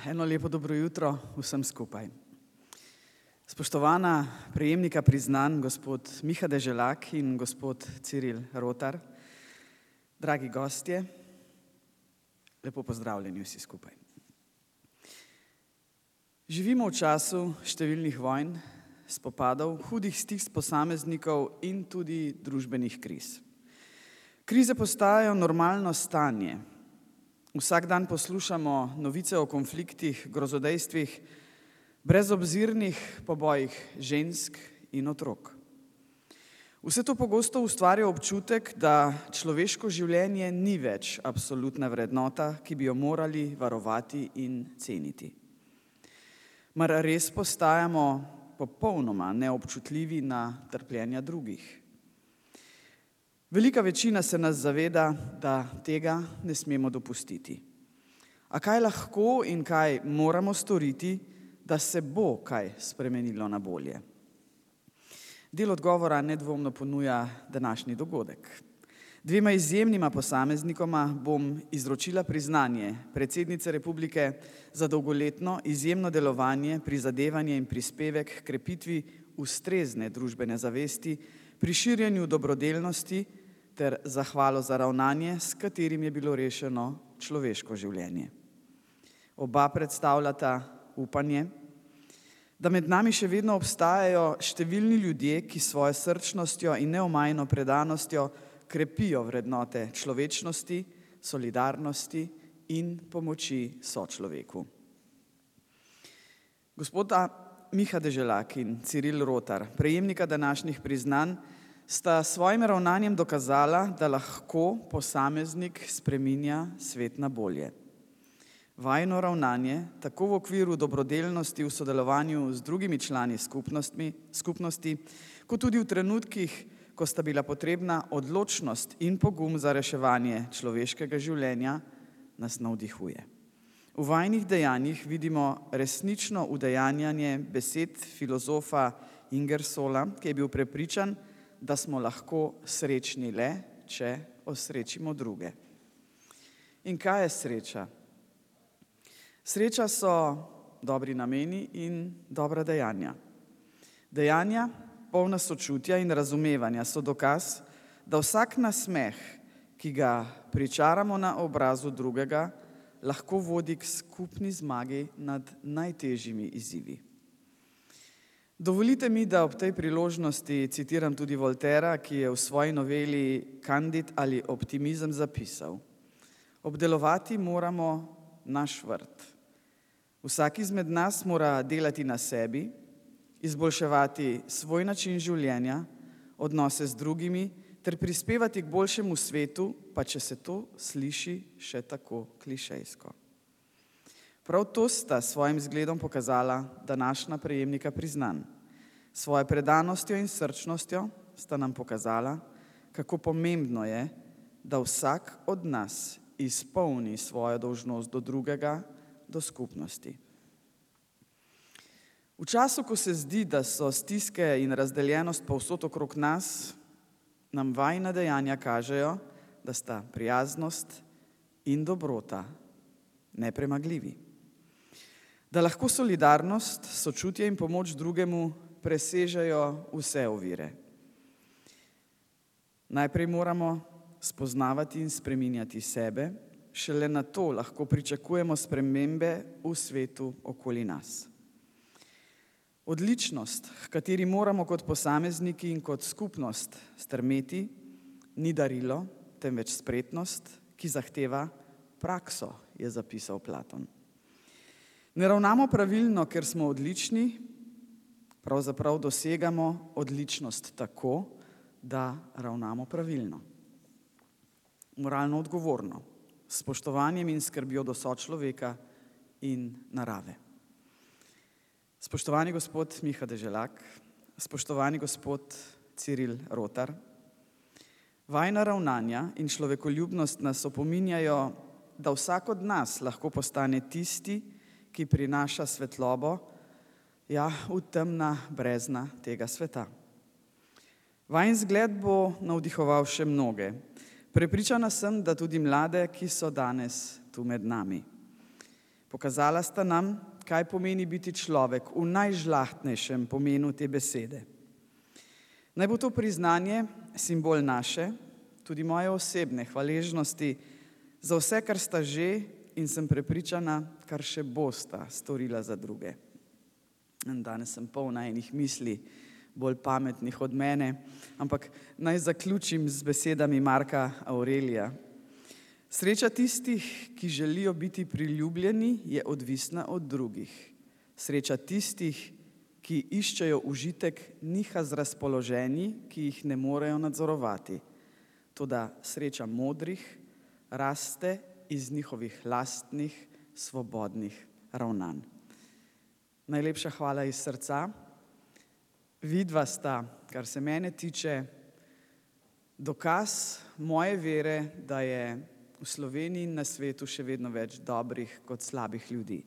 Eno lepo dobro jutro vsem skupaj. Spoštovana prejemnika priznanj, gospod Miha Deželak in gospod Ciril Rotar, dragi gostje, lepo pozdravljeni vsi skupaj. Živimo v času številnih vojn, spopadov, hudih stisk posameznikov in tudi družbenih kriz. Krize postajajo normalno stanje. Vsak dan poslušamo novice o konfliktih, grozodejstvih, brezobzirnih pobojih žensk in otrok. Vse to pogosto ustvarja občutek, da človeško življenje ni več absolutna vrednota, ki bi jo morali varovati in ceniti. Mar res postajamo popolnoma neobčutljivi na trpljenja drugih? Velika večina se nas zaveda, da tega ne smemo dopustiti. A kaj lahko in kaj moramo storiti, da se bo kaj spremenilo na bolje? Del odgovora nedvomno ponuja današnji dogodek. Dvema izjemnima posameznikoma bom izročila priznanje predsednice Republike za dolgoletno izjemno delovanje, prizadevanje in prispevek k krepitvi ustrezne družbene zavesti, pri širjenju dobrodelnosti ter zahvalo za ravnanje, s katerim je bilo rešeno človeško življenje. Oba predstavljata upanje, da med nami še vedno obstajajo številni ljudje, ki svojo srčnostjo in neomajno predanostjo krepijo vrednote človečnosti, solidarnosti in pomoči sočloveku. Gospoda Miha Deželak in Ciril Rotar, prejemnika današnjih priznanj, sta svojim ravnanjem dokazala, da lahko posameznik spreminja svet na bolje. Vajino ravnanje, tako v okviru dobrodelnosti v sodelovanju z drugimi člani skupnosti, kot tudi v trenutkih, ko sta bila potrebna odločnost in pogum za reševanje človeškega življenja, nas navdihuje. V vajinih dejanjih vidimo resnično udejanjanje besed filozofa Ingersolla, ki je bil prepričan, da smo lahko srečni le, če osrečimo druge. In kaj je sreča? Sreča so dobri nameni in dobra dejanja. Dejanja, polna sočutja in razumevanja, so dokaz, da vsak nasmeh, ki ga pričaramo na obrazu drugega, lahko vodi k skupni zmagi nad najtežjimi izzivi. Dovolite mi, da ob tej priložnosti citiram tudi Voltaira, ki je v svoji noveli Candid ali optimizem zapisal: obdelovati moramo naš vrt. Vsak izmed nas mora delati na sebi, izboljševati svoj način življenja, odnose z drugimi ter prispevati k boljšemu svetu, pa če se to sliši še tako klišejsko. Prav to sta svojim zgledom pokazala današnja prejemnika priznanj. Svojo predanostjo in srčnostjo sta nam pokazala, kako pomembno je, da vsak od nas izpolni svojo dolžnost do drugega, do skupnosti. V času, ko se zdi, da so stiske in razdeljenost povsod okrog nas, nam vajina dejanja kažejo, da sta prijaznost in dobrota nepremagljivi. Da lahko solidarnost, sočutje in pomoč drugemu presežejo vse ovire. Najprej moramo spoznavati in spreminjati sebe, šele nato lahko pričakujemo spremembe v svetu okoli nas. Odličnost, h kateri moramo kot posamezniki in kot skupnost strmeti, ni darilo, temveč spretnost, ki zahteva prakso, je zapisal Platon. Ne ravnamo pravilno, ker smo odlični, pravzaprav dosegamo odličnost tako, da ravnamo pravilno. Moralno odgovorno, s spoštovanjem in skrbjo do sočloveka in narave. Spoštovani gospod Miha Deželak, spoštovani gospod Ciril Rotar, vajina ravnanja in človekoljubnost nas opominjajo, da vsak od nas lahko postane tisti, ki prinaša svetlobo, v temna brezna tega sveta. Vajin zgled bo navdihoval še mnoge. Prepričana sem, da tudi mlade, ki so danes tu med nami. Pokazala sta nam, kaj pomeni biti človek v najžlahtnejšem pomenu te besede. Naj bo to priznanje simbol naše, tudi moje osebne hvaležnosti za vse, kar sta že in sem prepričana, kar še bosta storila za druge. Danes sem polna enih misli, bolj pametnih od mene, ampak naj zaključim z besedami Marka Aurelija. Sreča tistih, ki želijo biti priljubljeni, je odvisna od drugih. Sreča tistih, ki iščejo užitek, niha z razpoloženji, ki jih ne morejo nadzorovati. Toda sreča modrih raste iz njihovih lastnih, svobodnih ravnanj. Najlepša hvala iz srca. Vidva sta, kar se mene tiče, dokaz moje vere, da je v Sloveniji in na svetu še vedno več dobrih kot slabih ljudi.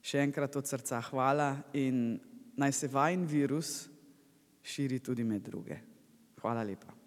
Še enkrat od srca hvala in naj se vajin virus širi tudi med druge. Hvala lepa.